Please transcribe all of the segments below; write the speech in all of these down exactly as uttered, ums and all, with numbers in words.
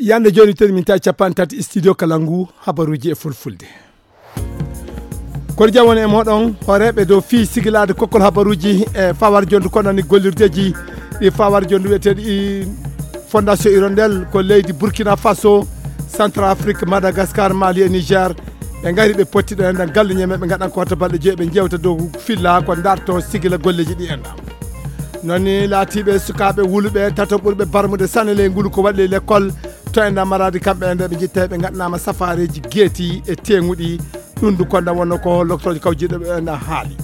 Yande jooni, teni min tawi capanɗe tati studio kala ngu habaruuji e fulfulde. Kono jam woni e mooɗon, hooreeɓe dow fii sigilaade kokkol habaruuji e fawar jondu ko nani gollirdeeji ɗi fawar jondu wiyeteeɗi Fondation Hirondelle ko leydi Burkina Faso, Centrafrique, Madagascar, Mali e Niger. Ɓe ngari ɓe potti ɗo enɗan galle ñeme ɓe ngaɗan ko wata balɗe joyi ɓe jewta dow filla ko darto sigila golleeji ɗi enɗan. Noon ni laatiiɓe sukaaɓe wuluɓe tato ɓurɓe barmude sane ley ngulu ko waɗi ley lekkol to enɗan maraadi kamɓe enɗan ɓe jitta ɓe ngaɗanaama safaareeji geeti e teeŋuɗi. Ɗum du konda wonno ko loktoojo kawjiiɗo ɓe enɗan haali.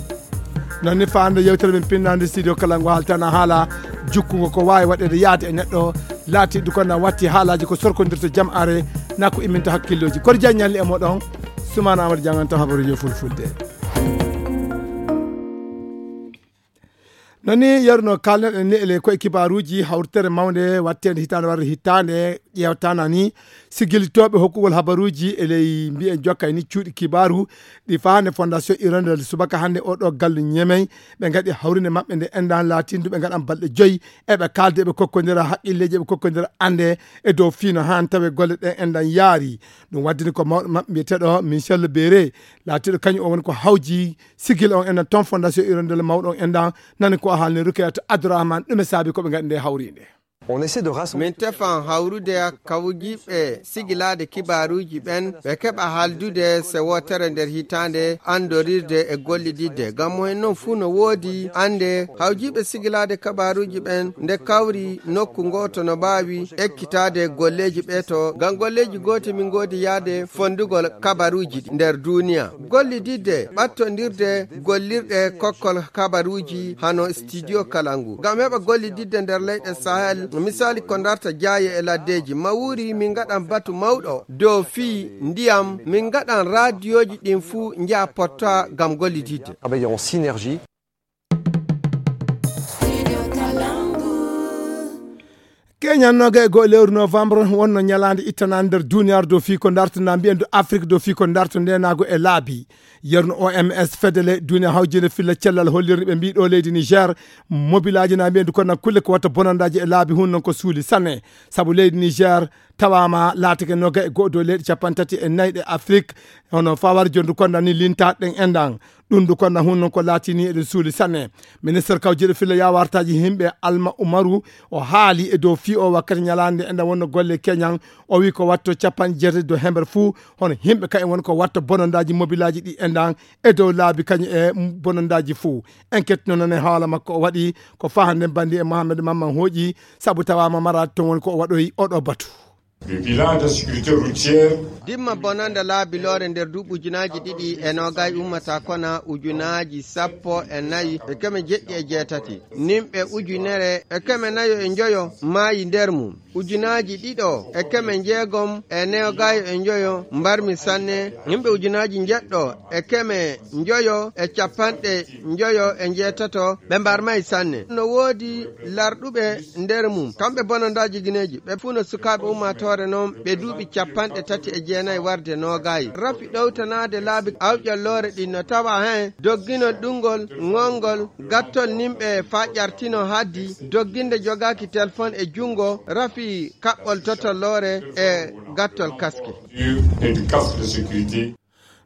Noon ni faande yewtere men pinnaande studio kala ngo haaltana haala jukkungo ko waawi waɗeede yaade e neɗɗo laatiiɗo konda watti haalaaji ko sorkondirta jam are na ko imminta hakkillooji. Kono jaññalli e moɗon Sumaana Amadu Janganto habaruuji e fulfulde. Noon ni yeru no kaalneɗen ni ele koye kibaaruuji hawritere mawnde watteende hitaande warde hitaande ƴeewtana ni sigilitooɓe hokkugol habaruuji e ley mbiyen jokkay ni cuuɗi kibaaru ɗi faande Fondation Hirondelle subaka hannde o ɗo gallu ñemey ɓe ngaɗi hawrinde maɓɓe nde enɗan laatindu ɓe ngaɗan balɗe joyi eɓe kaalde eɓe kokkondira haqqilleeji eɓe kokkondira annde e dow fiino haan tawe golle ɗen enɗan yaari. Ɗum waddini ko mawɗo maɓɓe mbiyeteeɗo Michel Béré laatiiɗo kañum o woni ko hawji sigil on enɗan toon Fondation Hirondelle mawɗo on enɗan nani ko o haalni Rukayatu Abdourahmane ɗume saabi ko ɓe ngaɗi nde hawrinde. On essaie de rassembler. Min tefan hawrude kawjiiɓe sigilaade kibaaruuji ɓen ɓe keɓa haaldude se wootere nder hitaande anndorirde e gollididde ngam mo en noon fuu no woodi annde hawjiiɓe sigilaade kabaaruuji ɓen nde kawri nokku ngooto no mbaawi ekkitaade golleeji ɓe to ngam golleeji gooti min ngoodi yaade fonndugol kabaaruuji ɗi nder duuniya. Gollididde ɓattondirde gollirɗe kokkol kabaruuji hano studio kalangu ngam heɓa gollididde nder leyɗe sahel misali ko darta jaaye e laddeeji mawuri min ngaɗan batu mawɗo dow fii ndiyam min ngaɗan raadiyooji ɗin fuu njaha potta ngam gollididde. Travailler en synergie. Keñan noga e goo lewru novembre wonno ñalaande ittanaande nder duniyaaru dow fii ko darto na mbiyen do Afrique dow fii ko darto ndenaago e laabi. Yerno O M S fedele duniya hawjinde filla cellal hollirni ɓe mbii ɗo leydi Niger mobilaaji na mbiyen du kono kulle ko watta bonandaaji e laabi hun non ko suuli sanne. Sabu leydi Niger tawaama laatake noga e goo dow leyɗe capanɗe tati e nayi ɗe Afrique hono fawar jondu konda ni lintaaɗe ɗen enɗan. Ɗum du konda hun non ko laatini eɗen suuli sanne. Ministre kawjiiɗo filla yawartaaji himɓe Alma Umaru o haali e dow fii o wakkati ñalaande enɗan wonno golle keñan o wi ko watto capanɗe jeetati dow hember fuu hono himɓe kayen woni ko watta bonondaaji mobilaaji ɗi enɗan e dow laabi kañum e bonondaaji fuu. Enquête no nane haala makko o waɗi ko fahande bandi e Mohamed Mamman hooƴi sabu tawaama maraade toon woni ko o waɗoyi oɗo batu. Le bilan de sécurité routière. Dimma bonanda laabi loore nder duuɓi ujunaaji ɗiɗi e noogay ummata kona ujunaaji sappo e nayi e keme jeɗɗi e jeetati nimɓe ujunere e keme nayo e njoyo maayi nder mum. Ujunaaji ɗiɗo e keme njeegom e neogaayo e njoyo mbarmi sanne. Yimɓe ujunaaji njeɗɗo e keme njoyo e capanɗe njoyo e njeetato ɓe mbarmay sanne. No woodi larɗuɓe nder mum kamɓe bonondaaji gineeji ɓe fuu no sukaaɓe ummaatoore noon ɓe duuɓi capanɗe tati e jeenayi warde noogaayi rafi ɗowtanaade laabi awƴalloore ɗin no tawa heen dogginol ɗunngol ŋolngol gattol nimɓe faa ƴartino haddi dogginde jogaaki telefon e junngo rafi kaɓɓol totolloore e gattol kaske. Et du casque de sécurité.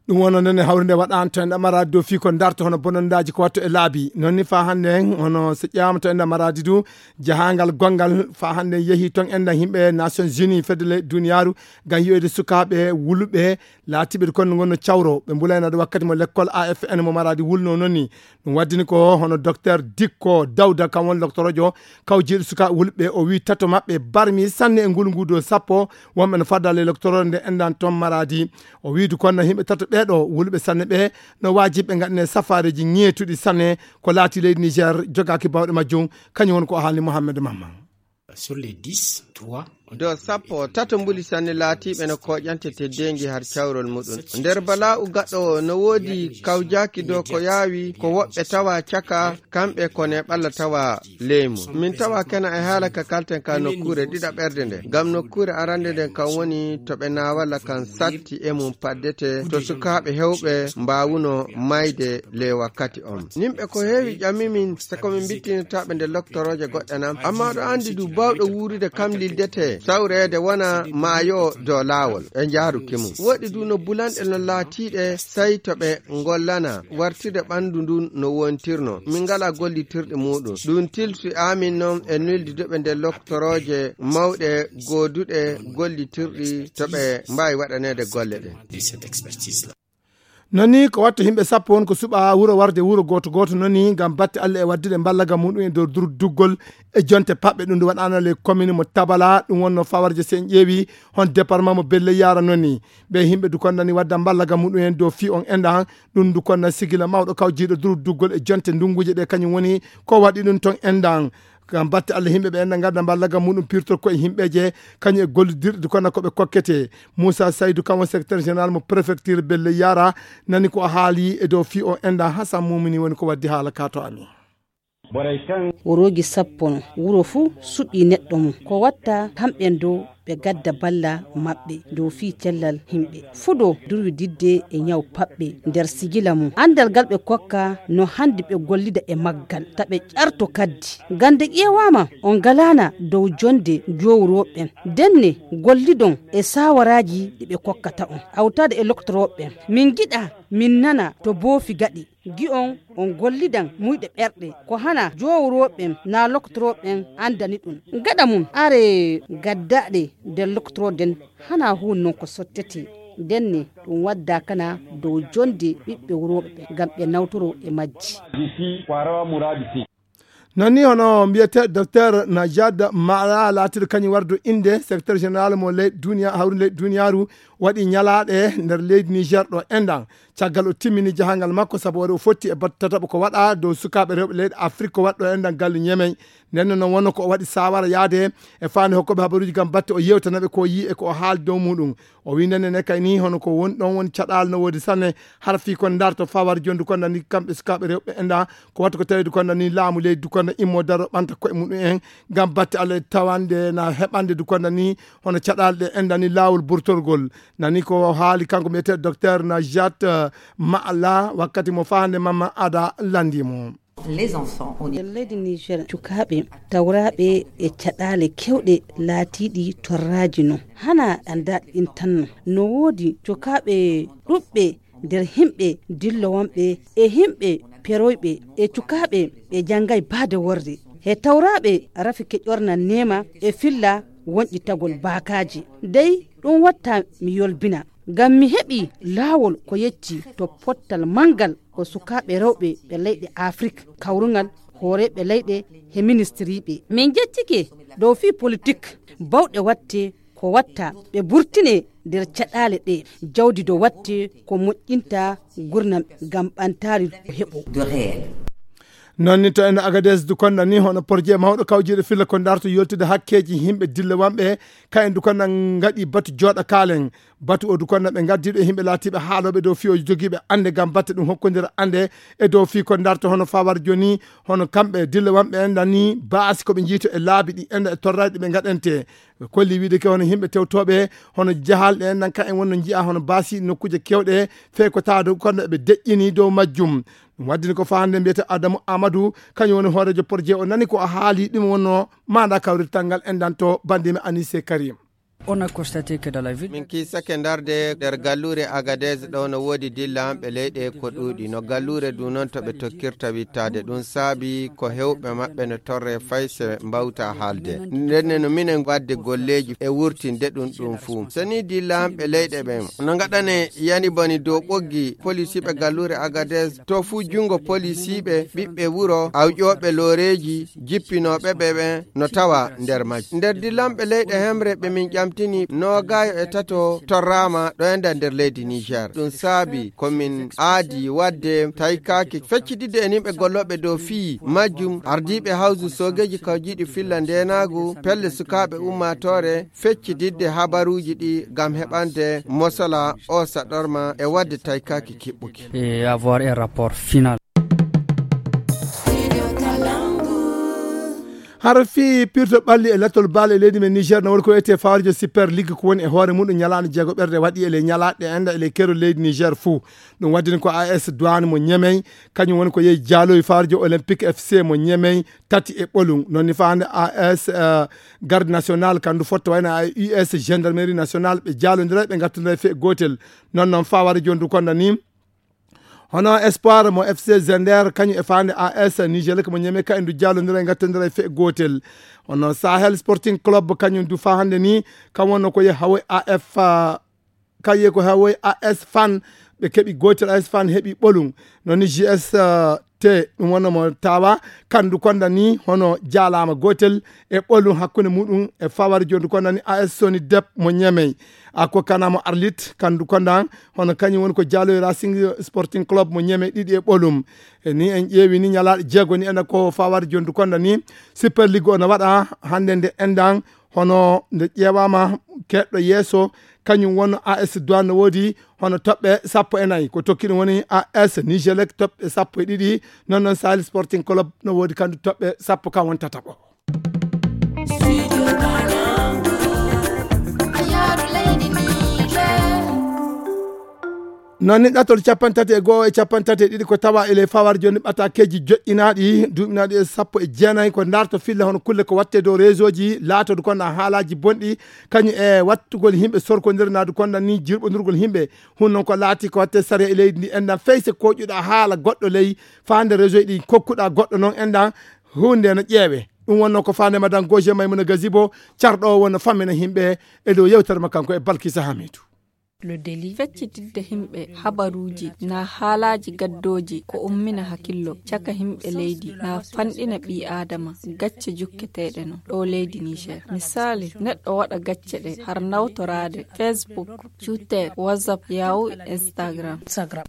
Ɗum wonno nden e hawrinde waɗaano to enɗa maraadi dow fii ko darto hono bonondaaji ko watto e laabi noon ni faa hannde en hono so ƴeewaama to enɗa maraadi du jahaangal gonngal faa hannde en yehii toon enɗan yimɓe Nations Unies fedde le duniyaaru ngam yiyoyde sukaaɓe wuluɓe laatiiɓe kon no ngonno cawro ɓe mbulaynaade wakkati mo lekkol A F N mo maraadi wulno noon ni. Ɗum waddini ko hono docteur Dikko Dawda kam won loktorojo kawjiiɗo sukaaɓe wuluɓe o wii tato maɓɓe barmi sanne e ngulu ngu dow sappo wonɓe no faddaale loktoroore nde enɗan toon maraadi. O wiidu kon no yimɓe tato ɓeeɗo wuluɓe sanne ɓe no waajibi ɓe ngaɗane safaareeji ŋeetuɗi sanne ko laati leydi Niger jogaaki bawɗe majjum kañum woni ko o haalni Mohammed Mamman. Sur les dix, trois. Dow sappo tato mbuli sanne laatiiɓe no kooƴante teddeengi har cawrol muɗum nder bala'u gaɗɗo o no woodi kawjaaki dow ko yaawi ko woɓɓe tawa caka kamɓe ko ne ɓalla tawa leymu min tawa kena e haala ka kalten ka nokkuure ɗiɗaɓerde nde ngam nokkuure arande nden kan woni to ɓe naawalla kan satti e mum paddete to sukaaɓe hewɓe mbaawuno mayde ley wakkati on nimɓe ko heewi ƴamimin sako min mbittinirtaɓe nde loktorooje goɗɗe nan amma ɗo anndi du bawɗo wuurude kam li Dete sawreede wona maayo dow laawol e njaaruki mum. Woɗi du no bulanɗe no laatiiɗe sey to ɓe ngollana wartirde ɓanndu ndun no wontirno. Min ngalaa gollitirɗe muuɗum. Ɗum tilsi amin noon e nuldude ɓe nder loktorooje mawɗe gooduɗe gollitirɗi to ɓe mbaawi waɗaneede golle ɗen. Non ni ko watta yimɓe sappo won ko suɓa wuro warde wuro gooto gooto non ni ngam batte Allah e waddude mballaga muɗum e dow dur-, duggol e jonte paɓɓe. Ɗum ndu waɗaano le commune mo Tabala, ɗum wonno fawarje sen ƴeewi hon département mo Belle Yara non ni. Ɓe yimɓe du konnani wadda mballaga muɗum en dow fii on enɗan, ɗum du konna sigila mawɗo kawjiiɗo dur-, duggol e jonte ndunguuje ɗe kañum woni ko waɗi ɗum ton enɗan. Ngam batte Allah yimɓe ɓe enɗan ngadda mballaga muɗum pirtor ko e yimɓeeje kañum e gollidirɗe du konna ko ɓe kokkete. Moussa Saydou kam o secrétaire général mo préfecture Belle Yara nani ko o haali e dow fii o enɗan. Hasan Mumini woni ko waddi haala ka to amin. Worooji sappo no wuro fuu suɓii neɗɗo mum. Ko watta kamɓen dow ɓe gadda balla maɓɓe dow fii cellal yimɓe. Fuɗo durwididde e ñaw paɓɓe nder sigila mum. Anndal ngal ɓe kokka no handi ɓe gollida e maggal, ta ɓe ƴarto kaddi. Gande ƴeewaama on ngalaana dow jonde jowrooɓen. Denne gollidon e saawaraaji ɗi ɓe kokkata on. Hawtaade e loktorooɓen. Min ngiɗa min nana to boofi gaɗi. Gi'on on gollidan muyɗe ɓerɗe, ko hana jowrooɓen naa loktorooɓen anndani ɗum. Gaɗa mum, are gaddaɗe nder loktorooden hana huun non ko sottete. Ndenne ɗum wadda kana dow jonde ɓiɓɓe wurooɓe ɓe, ngam ɓe nawtoro e majji. Non ni hono mbiyete docteur Najad Mala laatiɗo kañum wardo innde secrétaire général mo leydi duniya, hawri leydi duniyaaru, waɗi ñalaaɗe nder leydi Niger ɗo enɗan. Caggal o timmini jahangal makko, sabu o fotti e batte tataɓo ko waɗa dow sukaaɓe rewɓe leyɗe Afrik ko waɗɗo enɗan galle Ñemey. Nden noon wonno ko o waɗi saawara yaade e faande hokkuɓe habaruuji ngam batte o yewtana ɓe ko o yii e ko o haali dow muɗum. O wi nden ne kay ni hono ko woni ɗon woni caɗaal no woodi sanne, hara fii kon ndarto fawar jondu kon nani kamɓe sukaaɓe rewɓe enɗan ko wattu ko tawi du kon nani laamu leydi du kon na immo daro ɓanta koye muɗum en ngam batte Allah tawande na heɓande du kon nani hono caɗaal ɗe enɗan ni laawol burtorgol. Nani ko haali kanko mbiyetee docteur Najat, eh, Ma'ala wakkati mo faande Mama Ada landi mo. Les enfants, on est nder leydi Niger, cukaaɓe tawraaɓe e caɗaale kewɗe laatiiɗi torraaji non. Hana anndaaɗi ɗin tan non. No woodi cukaaɓe ɗuɓɓe nder himɓe dillowonɓe e himɓe peroyɓe e cukaaɓe ɓe janngay baade worre. He tawraaɓe rafi ke ƴornan neema e filla wonƴitagol baakaaji. Dey ɗum watta mi yolbina. Ngam mi heɓi laawol ko yecci to pottal manngal ko sukaaɓe rewɓe ɓe leyɗe Afrik, kawrungal hooreeɓe leyɗe he ministiriiɓe. Min njeccike dow fii politik bawɗe watte ko watta ɓe burtine nder caɗaale ɗe jawdi do watte ko moƴƴinta gurnam ngam ɓantaari heɓo. Non ni to en Agadez du konna ni hono porje mawɗo kawjiiɗo filla ko ndarto yoltude hakkeeji yimɓe dille wanɓe ka en du konna ngaɗi batu jooɗa kaalen. Batu o du konna ɓe ngaddiiɗo e yimɓe laatiiɓe haalooɓe dow fii o jogiiɓe annde ngam batte ɗum hokkondira annde e dow fii ko ndarto hono fawar joni hono kamɓe dille wanɓe en dani baasi ko ɓe njiito e laabi ɗi enda e torraaji ɗi ɓe ngaɗante. Ɓe kolli wiide ke hono yimɓe tewtooɓe hono jahalɗe en nan ka en wonno njiya hono baasi nokkuuje kewɗe fey ko tawa dow kono ɓe deƴƴini dow majjum. Ɗum waddini ko fahande mbiyete Adamu Amadou, kañum woni hooreejo projet o, nani ko a haali ɗum wonno maanda kawrital ngal en danto bandimi Anise Karim. On a constaté que dans la ville min kiisake ndarde nder galluure Agadez ɗo no woodi dillanɓe leyɗe ko ɗuuɗi no galluure du noon to ɓe tokkirta wittaade. Ɗum saabi ko hewɓe maɓɓe no torre fay se mbawta haalde. Ndenne no minen wadde golleeji e wurtinde ɗum ɗum fuu. So ni dillanɓe leyɗe ɓen no ngaɗane yani boni dow ɓoggi polisiiɓe galluure Agadez, to fuu junngo polisiiɓe, ɓiɓɓe wuro, awƴooɓe looreeji, jippinooɓe ɓe ɓen no tawa nder majji. Nder dillanɓe leyɗe hemre ɓe min ƴamtini noogaayo e tato torraama ɗo e nder, nder leydi Niger. Ɗum saabi ko min aadi wadde taykaaki feccididde e nimɓe gollooɓe dow fii majjum, ardiiɓe hawsu soogeeji kawjiiɗi filla ndeenaagu, pelle sukaaɓe ummaatoore, feccididde habaruuji ɗi ngam heɓande mosala o saɗorma e wadde taykaaki kiɓɓuki. Et avoir un rapport final. Hara fii pirto ɓalli e lattol bal e leydi men Niger, no woni ko wiyetee fawarjo Super League, ko woni e hoore muɗum ñalaande jeego ɓerde waɗi e ley ñalaaɗe enda e ley keerol leydi Niger fuu. Ɗum waddini ko A S Douane mo Ñemey, kañum woni ko yehi jaaloyi fawarjo Olympique F C mo Ñemey, tati e ɓolum. Noon ni faande A S, eh, Garde Nationale, kandu fotta wayno A U S Gendarmerie Nationale, ɓe jaalondira, ɓe ngattondira e fee gootel. Noon noon fawarjo ndu konda ni, hono Espoir mo F C Zender, kañum e faande A S Nigelec mo Ñeme, ka en du jaalondira e ngattondira e fee gootel. Hono Sahel Sporting Club, kañum du faa hannde ni, kam wonno ko ye hawoy A F, ah, kaye ko hawoy A S Fan, ɓe keɓi gootel, A S Fan heɓi ɓolum. Noon ni G S, ah, te ɗum wonno mo tawa, kandu konda ni, hono jaalaama gootel e ɓolum hakkunde muɗum e fawari jondu konda ni A S Soni Dep mo Ñemey. A ko kana mo Arlit, kandu konda, hono kañum woni ko jaaloy Racing Sporting Club mo Ñemey ɗiɗi e ɓolum. E ni en ƴeewi ni ñalaaɗe jeego ni ena ko fawari jondu konda ni Super League o no waɗa hannde nde endan, hono nde ƴeewaama keɗɗo yeeso, kañum won A S Douane no woodi hono toɓɓe sappo e nayi. Ko tokki ɗum woni A S Nigelec toɓɓe sappo e ɗiɗi, noon noon Sahel Sporting Club no woodi kandu toɓɓe sappo kam won tataɓo. Noon ni ɗatol capanɗe tati e go'o e capanɗe tati e ɗiɗi ko tawa e ley fawar jooni ɓatakeeji joƴƴinaaɗi, duuɓinaaɗi e sappo e jeenayi ko ndarto filla hono kulle ko watte dow réseau ji, laatodu konda haalaaji bonɗi, kañum e wattugol yimɓe sorkondire naadu konda ni jirɓondirgol yimɓe. Hun noon ko laati ko watte sariya e leydi ndi enɗan fey se koƴuɗa haala goɗɗo ley faande réseau ɗi kokkuɗa goɗɗo noon enɗan hunde no ƴeewe. Ɗum wonno ko faande Madame Gauger Maimouna Gazibo, carɗo o wonno fammina yimɓe e dow yewtere ma kanko e Balkisa Hamidou. Le délit. Feccitidde yimɓe habaruuji na haalaaji gaddooji ko ummina hakillo caka yimɓe leydi na fanɗina ɓii aadama gacce jukketeeɗe no ɗo leydi Niger. Misaali, neɗɗo waɗa gacce ɗe har nawtoraade Facebook, Twitter, WhatsApp, Yahoo, Instagram.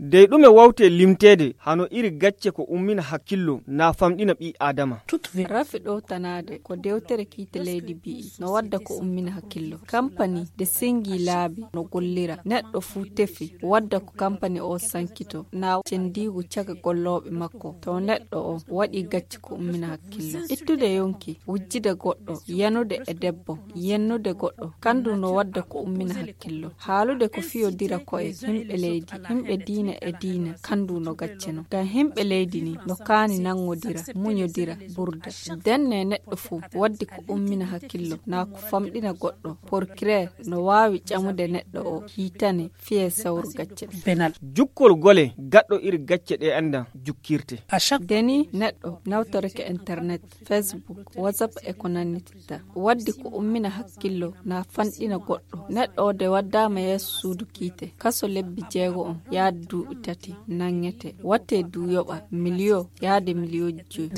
Dey ɗume wawte limteede hano iri gacce ko ummina hakillo na famɗina ɓii aadama? Rafi ɗowtanaade ko dewtere kiite leydi bi'i no wadda ko ummina hakillo. Kampani de sengi laabi no gollira. Neɗɗo fuu tefi wadda ko kampani o sankito na cendiigu caka gollooɓe makko. To neɗɗo o waɗi gacce ko ummina hakillo. Ittude yonki, wujjide goɗɗo, yanude e debbo, yennude goɗɗo, kandu no wadda ko ummina hakillo. Haalude ko fiyodira ko'e yimɓe leydi, yimɓe diina e diina, kandu no gacce no. Ngam yimɓe leydi ni no kaani nangodira, muñodira, burda. Denne neɗɗo fuu waddi ko ummina hakillo, na ko famɗina goɗɗo. Procureur no waawi ƴamude neɗɗo o, hiitane, fiye sawru gacce ɗe. Penal. Jukkol gole gaɗɗo iri gacce ɗe enda jukkirte. Deni neɗɗo nawtoreke internet, Facebook, WhatsApp e ko nannititta. Waddi ko ummina hakkillo na fanɗina goɗɗo. Neɗɗo o de waddama yeeso suudu kiite. Kaso lebbi jeego on yaade duuɓi tati nanngete. Watte du yoɓa miliyo yaade miliyooji joyi.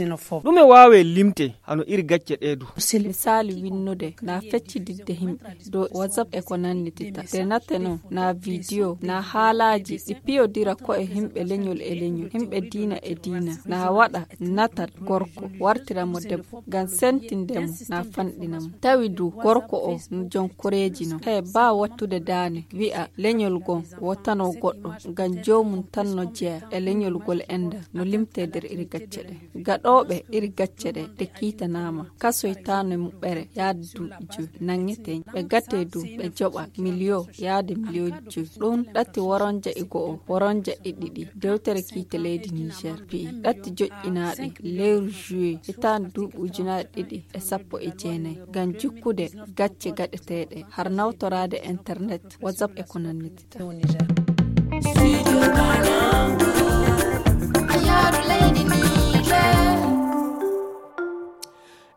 Ɗume waawe limte hano iri gacce ɗee du? Misaali winnude na feccididde himɓe dow WhatsApp e ko nannititta. De nate non na vidiyo, na haalaaji ɗi piyodira ko e himɓe leñol e leñol, himɓe diina e diina. Na waɗa natat gorko, wartira mo debbo, ngam sentinde mo, na fanɗina mo. Tawi du gorko o no jon koreeji non. He baa wattude daane, wi'a leñol gon wotano goɗɗo, ngam joomum tan no jeya e leñol gol enda no limte nder iri gacce ɗe. Gaɗooɓe iri gacce ɗe, ɗe kiitanaama, kasoytaano muɓɓere yaade duuɓi joyi, nanngete. Ɓe gate du, ɓe joɓa miliyo yaade miliyooji joyi. Ɗum ɗatti woronja e go'o, woronja e ɗiɗi. Dewtere kiite leydi Niger pi'i ɗatti joƴƴinaaɗi lewru juillet, hitaande duuɓi ujunaaɗe ɗiɗi e sappo e jeenayi, ngam jukkude gacce gaɗeteeɗe, har nawtoraade internet, WhatsApp e ko nanniti.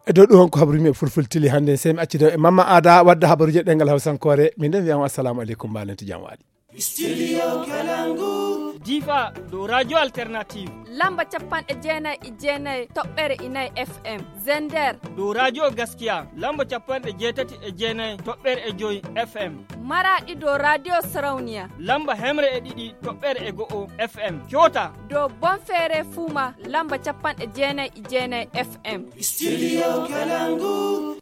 E dow ɗum, honko habaru mi e fulfultili hannde? Sey mi accido e Mamma Aada wadda habaruuje ɗengal Hawsankoore. Min nden wiyan on assalamu aleykum, mbaalen to jam waali. Studio Kalangu. Difa dow Radio Alternative. Lamba capanɗe jeenayi e jeenayi toɓɓere inayi F M. Zender. Dow Radio Gaskiya, lamba capanɗe jeetati e jeenayi toɓɓere e joyi F M. Maraɗi dow Radio Sarauniya. Lamba hemre e ɗiɗi toɓɓere e go'o F M. Kyota. Dow Bonfere Fuma, lamba capanɗe jeenayi e jeenayi F M. Studio Kalangu.